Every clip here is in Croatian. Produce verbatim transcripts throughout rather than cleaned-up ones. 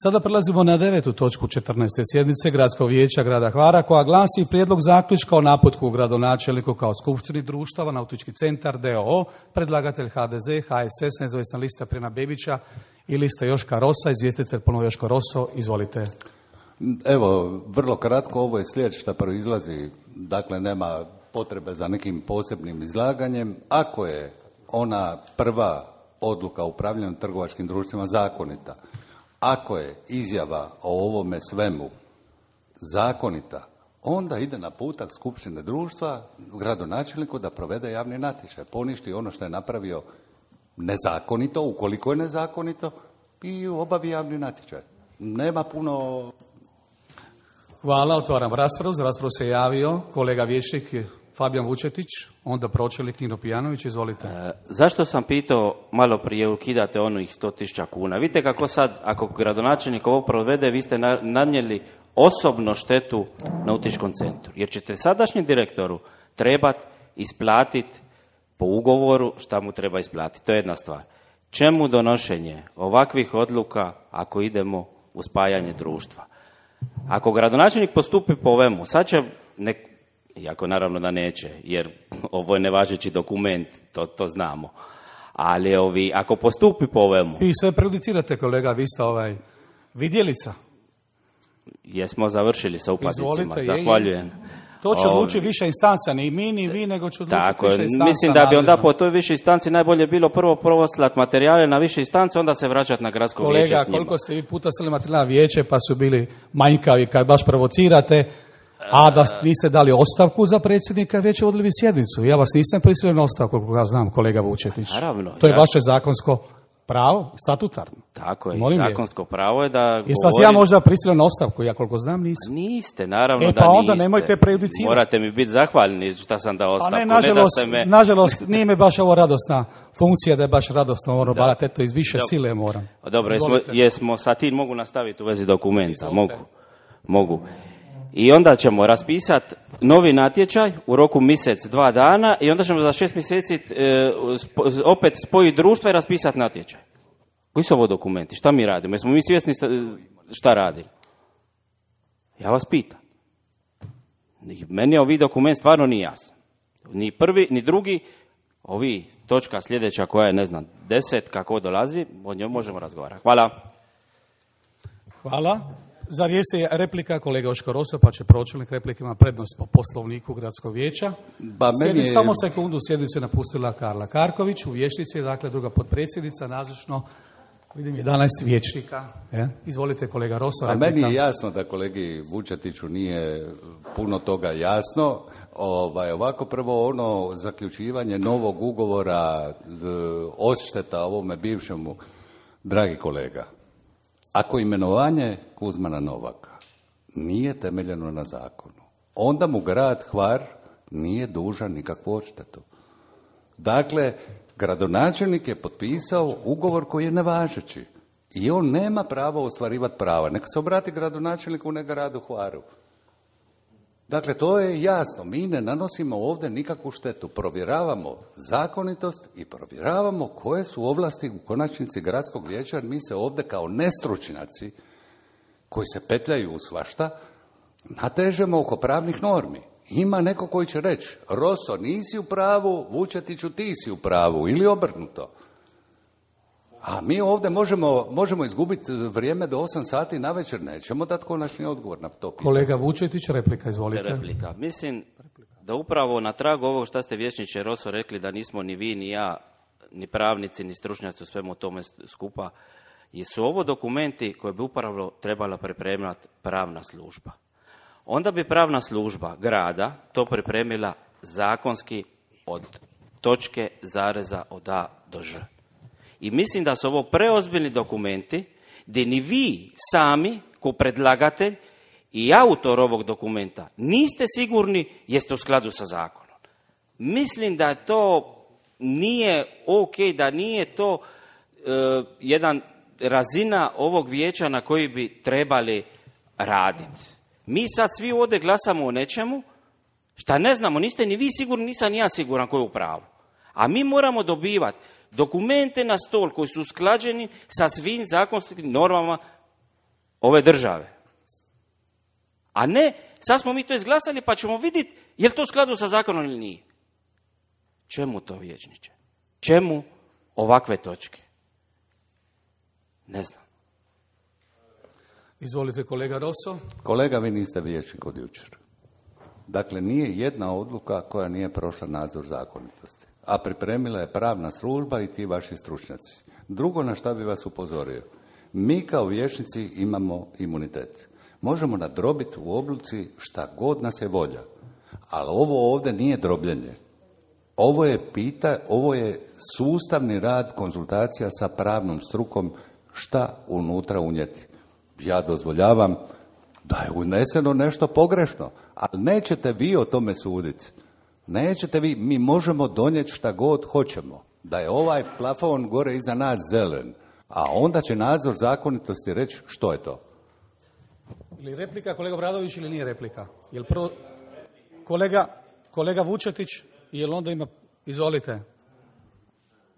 Sada prelazimo na devetu točku četrnaeste sjednice Gradskog vijeća grada Hvara, koja glasi prijedlog zaključka o naputku gradonačelniku kao skupštini društava Nautički centar d o o, predlagatelj ha de ze, ha es es, nezavisna lista Prena Bebića i lista Joška Rosa, izvjestitelj ponovo Joško Roso, izvolite. Evo, vrlo kratko, ovo je slijed što proizlazi, dakle nema potrebe za nekim posebnim izlaganjem. Ako je ona prva odluka o upravljanju trgovačkim društvima zakonita, ako je izjava o ovome svemu zakonita, onda ide na putak skupštine društva gradonačelniku da provede javni natječaj, poništi ono što je napravio nezakonito, ukoliko je nezakonito, i obavi javni natječaj. Nema puno... Hvala, otvaram raspravu. Za raspravu se javio kolega vijećnik Fabijan Vučetić, onda pročelnik Nino Pijanović, izvolite. E, zašto sam pitao malo prije ukidate onih sto tisuća kuna? Vidite kako sad, ako gradonačelnik ovo provede, vi ste na, nanijeli osobno štetu Nautičkom centru. Jer ćete sadašnjem direktoru trebati isplatiti po ugovoru šta mu treba isplatiti. To je jedna stvar. Čemu donošenje ovakvih odluka ako idemo u spajanje društva? Ako gradonačelnik postupi po ovemu, sad će, nek, iako naravno da neće, jer ovo je nevažeći dokument, to, to znamo, ali ovi, ako postupi po ovemu... I sve prejudicirate, kolega, vi ste ovaj vidjelica. Jesmo završili sa uplatnicima, Izvolite, zahvaljujem. Je, je. To će odlučiti više instanca, ni mi, ni vi, nego će odlučiti Tako, više instanca. Mislim da bi onda nadležno. po toj više instanci najbolje bilo prvo proslati materijale na više instance, onda se vraćati na gradsko Kolega, vijeće s njima. koliko ste vi puta slali materijal na vijeće, pa su bili manjkavi kad baš provocirate, a da niste dali ostavku za predsjednika, već vodili bi sjednicu. Ja vas nisam prisilio na ostavku, koliko ja znam, kolega Vučetić. Naravno. To je ja... vaše zakonsko pravo, statutarno. Tako je, Molim zakonsko je. Pravo je da Jesi govorim... vas ja možda prisilio na ostavku, ja koliko znam nisam. Niste, naravno e, da pa niste. onda nemojte prejudicirati. Morate mi biti zahvalni šta sam dao ostavku. Pa ne, nažalost, ne da ste me... nažalost, nije mi baš ovo radosna funkcija da je baš radosno ono, barat, eto, iz više Dob. sile moram. Dobro, jesmo, jesmo sa tim mogu nastaviti u vezi dokumenta, Izvolite. mogu, mogu. I onda ćemo raspisati novi natječaj u roku mjesec, dva dana i onda ćemo za šest mjeseci e, spo, opet spojiti društva i raspisati natječaj. Koji su ovo dokumenti? Šta mi radimo? Jesmo mi svjesni šta radimo? Ja vas pitam. Meni ovi dokument stvarno nije jasan. Ni prvi, ni drugi. Ovi točka sljedeća koja je, ne znam, deset, kako dolazi, o njoj možemo razgovarati. Hvala. Hvala. Za riječ je replika kolega Joško Roso, pa će pročelnik replike ima prednost po poslovniku Gradskog vijeća. Ba, meni je... Samo sekundu, sjednicu je napustila Karla Karković, u vijećnici, dakle druga potpredsjednica, nazočno, vidim jedanaest vijećnika. Je? Izvolite kolega Roso. A meni je jasno da kolegi Vučetiću nije puno toga jasno. Ovaj, ovako prvo ono zaključivanje novog ugovora, odšteta ovome bivšemu, dragi kolega, ako imenovanje Kuzmana Novaka nije temeljeno na zakonu, onda mu grad Hvar nije dužan nikakvu odštetu. Dakle, gradonačelnik je potpisao ugovor koji je nevažeći i on nema pravo ostvarivati prava. Neka se obrati gradonačelniku, ne gradu Hvaru. Dakle, to je jasno. Mi ne nanosimo ovdje nikakvu štetu. Provjeravamo zakonitost i provjeravamo koje su ovlasti u konačnici gradskog vijeća. Mi se ovdje kao nestručnjaci koji se petljaju u svašta natežemo oko pravnih normi. Ima neko koji će reći, Roso, nisi u pravu, Vučetiću, ti si u pravu, ili obrnuto. A mi ovdje možemo, možemo izgubiti vrijeme do osam sati navečer, nećemo dati konačni odgovor na to pitanje. Kolega Vučetić, replika, izvolite. Replika. Mislim da upravo na tragu ovog što ste vijećniče Roso rekli, da nismo ni vi, ni ja, ni pravnici, ni stručnjaci u svemu tome skupa, i su ovo dokumenti koje bi upravo trebala pripremati pravna služba. Onda bi pravna služba grada to pripremila zakonski od točke zareza od A do Ž. I mislim da su ovo preozbiljni dokumenti gdje ni vi sami, ko predlagatelj i autor ovog dokumenta, niste sigurni jeste u skladu sa zakonom. Mislim da to nije ok, da nije to uh, jedan razina ovog vijeća na koji bi trebali raditi. Mi sad svi ovdje glasamo o nečemu šta ne znamo, niste ni vi sigurni, nisam ni ja siguran ko je u pravu. A mi moramo dobivati dokumente na stol koji su usklađeni sa svim zakonskim normama ove države. A ne, sad smo mi to izglasali pa ćemo vidjeti je li to u skladu sa zakonom ili nije. Čemu to, vijećniče? Čemu ovakve točke? Ne znam. Izvolite, kolega Rosso. Kolega, vi niste vijećnik od jučer. Dakle, nije jedna odluka koja nije prošla nadzor zakonitosti. A pripremila je pravna služba i ti vaši stručnjaci. Drugo na šta bi vas upozorio. Mi kao vijećnici imamo imunitet. Možemo nadrobiti u odluci šta god nas je volja. Ali ovo ovdje nije drobljenje. Ovo je pita, ovo je sustavni rad konzultacija sa pravnom strukom šta unutra unijeti. Ja dozvoljavam da je uneseno nešto pogrešno, ali nećete vi o tome suditi. Nećete vi, mi možemo donijeti šta god hoćemo. Da je ovaj plafon gore iza nas zelen, a onda će nadzor zakonitosti reći što je to. Ili replika, kolega Bradović, ili nije replika? Jel prvo... Kolega, kolega Vučetić, jel onda ima... Izvolite.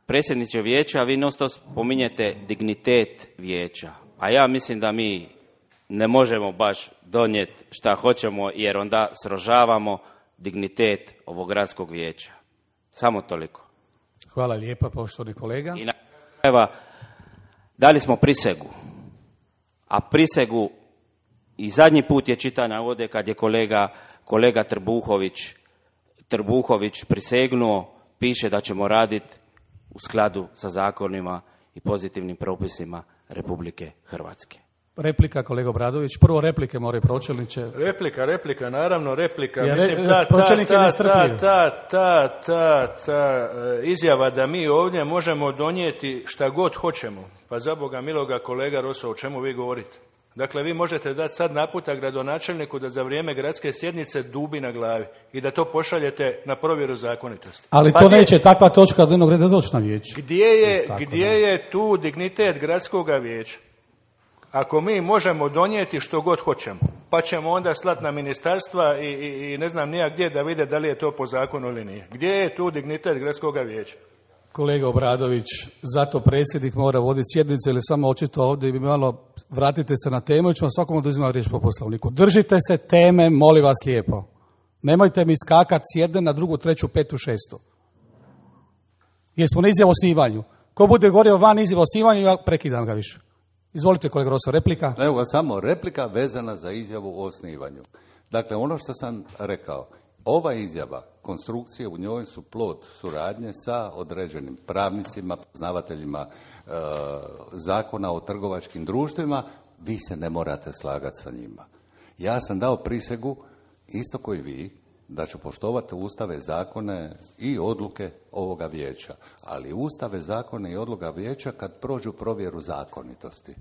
Predsjedniče vijeća, vi non stop spominjete dignitet vijeća, a ja mislim da mi ne možemo baš donijeti šta hoćemo, jer onda srožavamo dignitet ovog gradskog vijeća. Samo toliko. Hvala lijepa, poštovani kolega. I na krajeva, dali smo prisegu, a prisegu i zadnji put je čitana ovdje kad je kolega, kolega Trbuhović, Trbuhović prisegnuo, piše da ćemo raditi u skladu sa zakonima i pozitivnim propisima Republike Hrvatske. Replika, kolega Bradović. Prvo replike moraju, pročelniče. Replika, replika, naravno replika. Ja, Mislim, re, ta, ta, ta, ta, ta, ta, ta, ta izjava da mi ovdje možemo donijeti šta god hoćemo. Pa za Boga miloga, kolega Rosso, o čemu vi govorite? Dakle, vi možete dati sad naputak gradonačelniku da za vrijeme gradske sjednice dubi na glavi i da to pošaljete na provjeru zakonitosti. Ali pa to gdje, neće takva točka dnevnog reda doći na vijeće. Gdje je, Tako gdje je tu dignitet gradskoga vijeća? Ako mi možemo donijeti što god hoćemo, pa ćemo onda slati na ministarstva i, i, i ne znam nija gdje da vide da li je to po zakonu ili nije. Gdje je tu dignitet gradskoga vijeća? Kolega Obradović, zato predsjednik mora voditi sjednice ili samo očito ovdje bi malo vratite se na temu i ćemo svakom oduzimati riječ po poslovniku. Držite se teme, molim vas lijepo. Nemojte mi skakati s jedne na drugu, treću, petu, šestu. Jesmo na izjavu o osnivanju. Ko bude govorio van izjavu o osnivanju, ja prekidam ga više. Izvolite, kolega Rosso, replika. Evo ga, samo replika vezana za izjavu o osnivanju. Dakle, ono što sam rekao, ova izjava, konstrukcije u njoj su plod suradnje sa određenim pravnicima, poznavateljima e, zakona o trgovačkim društvima, vi se ne morate slagati sa njima. Ja sam dao prisegu, isto koji vi, da ću poštovati ustave, zakone i odluke ovoga vijeća. Ali ustave, zakone i odluka vijeća kad prođu provjeru zakonitosti.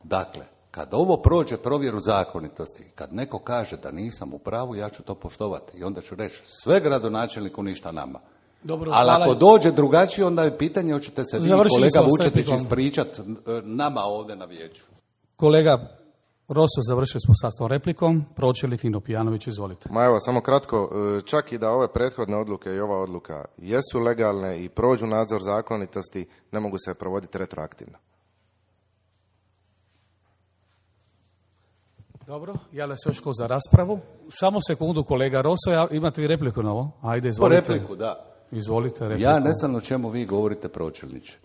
Dakle, kad ovo prođe provjeru zakonitosti, kad neko kaže da nisam u pravu, ja ću to poštovati. I onda ću reći, sve gradonačelniku, ništa nama. Dobro, ali hvala. ako dođe drugačije, onda je pitanje hoćete se vi, Završili kolega smo s Vučetić, replikom. ispričati nama ovdje na vijeću. Kolega Rosso, završili smo sa tom replikom. Pročelnik Nino Pijanović, izvolite. Ma evo, samo kratko, čak i da ove prethodne odluke i ova odluka jesu legalne i prođu nadzor zakonitosti, ne mogu se provoditi retroaktivno. Dobro, javlja se još ko za raspravu. Samo sekundu, kolega Rosso, ja, imate vi repliku na ovo? Ajde, izvolite. Po repliku, da. Izvolite, repliku. Ja ne znam o čemu vi govorite, pročelniče.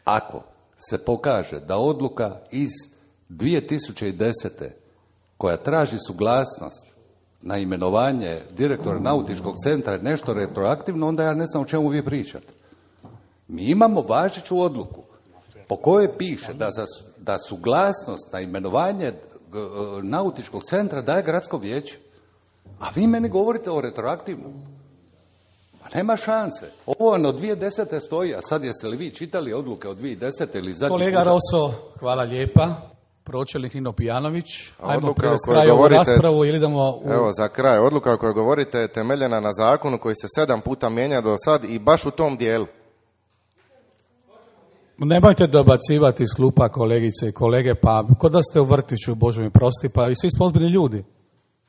Ako se pokaže da odluka iz dvije tisuće desete koja traži suglasnost na imenovanje direktora nautičkog centra nešto retroaktivno, onda ja ne znam o čemu vi pričate. Mi imamo važeću odluku po kojoj piše da, za, da suglasnost na imenovanje nautičkog centra daje gradsko vijeće. A vi meni govorite o retroaktivnom. Pa nema šanse. Ovo vam od dvije tisuće desete stoji, a sad jeste li vi čitali odluke od dvije tisuće desete ili zadnji Kolega puta? Rosso, hvala lijepa. Pročelnik Nino Pijanović. Ajmo Odluka o privesti kojoj kraju ovu govorite- raspravu ili idemo u... Evo, za kraj, odluka o kojoj govorite je temeljena na zakonu koji se sedam puta mijenja do sad i baš u tom dijelu. Nemojte dobacivati iz klupa, kolegice i kolege, pa kod da ste u vrtiću, Bože mi prosti, pa i svi smo ozbiljni ljudi.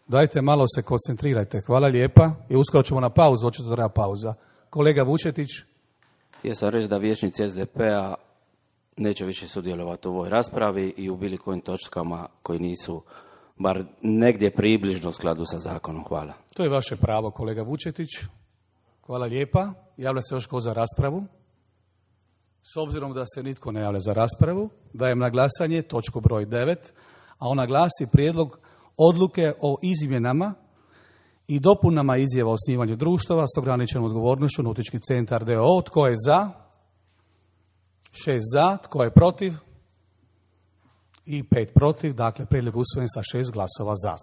Dajte malo se koncentrirajte. Hvala lijepa i uskoro ćemo na pauzu, očito treba pauza. Kolega Vučetić. Htio sam reći da vijećnici es de pe a neće više sudjelovati u ovoj raspravi i u bilo kojim točkama koji nisu bar negdje približno u skladu sa zakonom. Hvala. To je vaše pravo, kolega Vučetić. Hvala lijepa. Javlja se još ko za raspravu? S obzirom da se nitko ne javlja za raspravu, dajem na glasanje točku broj devet, a ona glasi prijedlog odluke o izmjenama i dopunama izjava o osnivanju društava s ograničenom odgovornošću Nautički centar d o o. Tko je za? Šest za. Tko je protiv? I pet protiv. Dakle, prijedlog usvojen sa šest glasova za.